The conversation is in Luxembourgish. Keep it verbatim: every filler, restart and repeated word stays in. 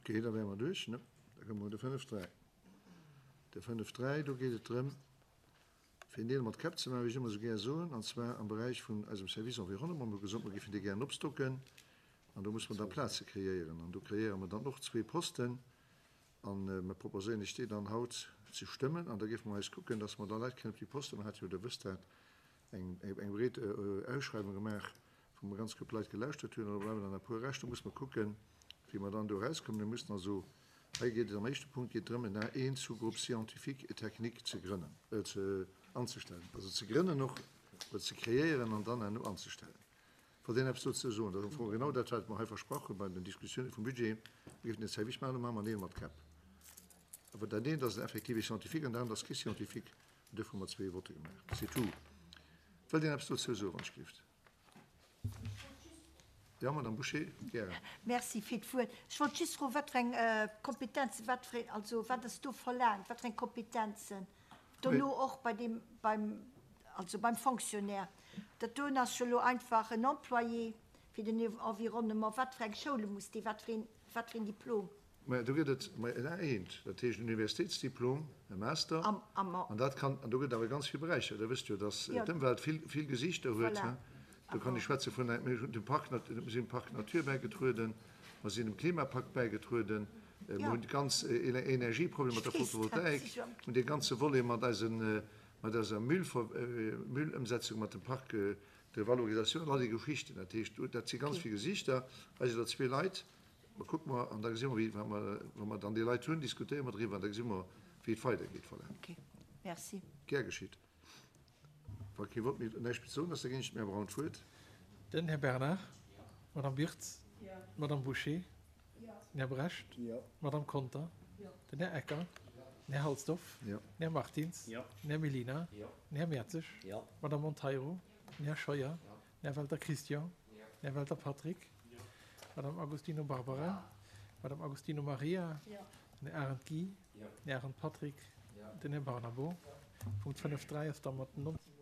Okay, da wäre mer duerch, ne? Da komme mer de fënnef dräi. De fënnef dräi, do geet et drëm, fir en Deel mat Käpp ze maachen, wéi ech ëmmer esou gär soen, an zwar am Beräich vun eisem Service Environnement. Mir hu gesot, mer géifen dee gären opstocken, an do muss mer da Plaze kreéieren. An do kreéiere mer dann och zwee Posten, a mer proposéieren Iech déi dann haut ze stëmmen. An da géife mer eis kucken, dass mer da Leit kréien op déi Posten. Mer hate jo, Der wësst dat, eng, eng breet Ausschreiwung gemaach, wou mer ganz gutt Leit gelauschtert hunn, an do bleiwen dann e puer Rescht. Do muss mer kucken, wéi mer dann do erauskommen. Mir mussen also, hei geet et am éischte Punkt geet drëm, en A een Sous-groupe scientifique et technique ze grënnen, ze anzestellen, also ze grënnen och, oder ze kreéieren an dann herno anzestellen. Wollt een eppes dozou soen? Dat ass am Fong genau dat, wat mer hei versprach hu bei den Diskussiounen vum Budget. Mir géifen den Service maachen, elo maache mer Neel mat Käpp. Awer dat eent ass en effektive Scientifique an dat anert ass kee Scientifique. An duerfir hu mer zwee Votte gemaach. C'est tout. Wëllt een eppes dozou soen, wann ech gelift? Jo, Madame Bouché, gären. Merci fir d'Wuert. Ech wollt just froen, wat fir eng Kompetenzen, wat fir een, also wat ass do verlaangt, wat fir eng Kompetenzen dono och bei deem, beim, also beim Fonctionnaire. Dat doen ass jo elo einfach en Employé fir den Environnement. Wat fir eng Schoule muss dee, wat fir een, wat fir een Diplom? Maja, do gëtt et, maja, en A eent, dat heescht en Universitéitsdiplom, e Master, an dat kann, an do gëtt et awer ganz vill Beräicher. Der wësst jo, datt d'Ëmwelt vill, vill Gesichter huet. Voilà. Do kann ech schwätze vun, mir hunn dem Parc, mir sinn dem Parc Nature bäigetrueden, mer sinn dem Klimapakt bäigetrueden, mer hunn d'ganz Energieproblem mat der Photovoltaik, hunn dee ganze Volet mat eisen, mat eiser Müllëmsetzung, mat dem Parc de valorisation an all déi Geschichten. Dat heescht, dat si ganz vill Gesichter. Hei sinn der zwee Leit. Ma kucke mer an da gesi mer, wéi, wa mer, wa mer dann déi Leit hunn, diskutéiere mer driwwer an da gesi mer, wéi et weidergeet. Voilà. Ok, merci. Gär geschitt. Wa kee Wort méi, näischt méi ze soen ass, da ginn ech dem Här Braun d'Wuert. Den Här Bernard. D'Madame Birtz. D'Madame Bouché. Den Här Brecht. D'Madame Conter. Den Här Ecker. Den Här Halsdorf. Den Här Martins. Den Här Mellina. Den Här Mertzig. D'Madame Monteiro. Den Här Scheuer. Den Här Welter Christian. Den Här Welter Patrick. D'Madame Agostino Barbara. D'Madame Agostino Maria. Den Här Arendt Guy. Den Här Arendt Patrick. Den Här Barnabo. Punkt fënnef dräi ass da mat nonzéng.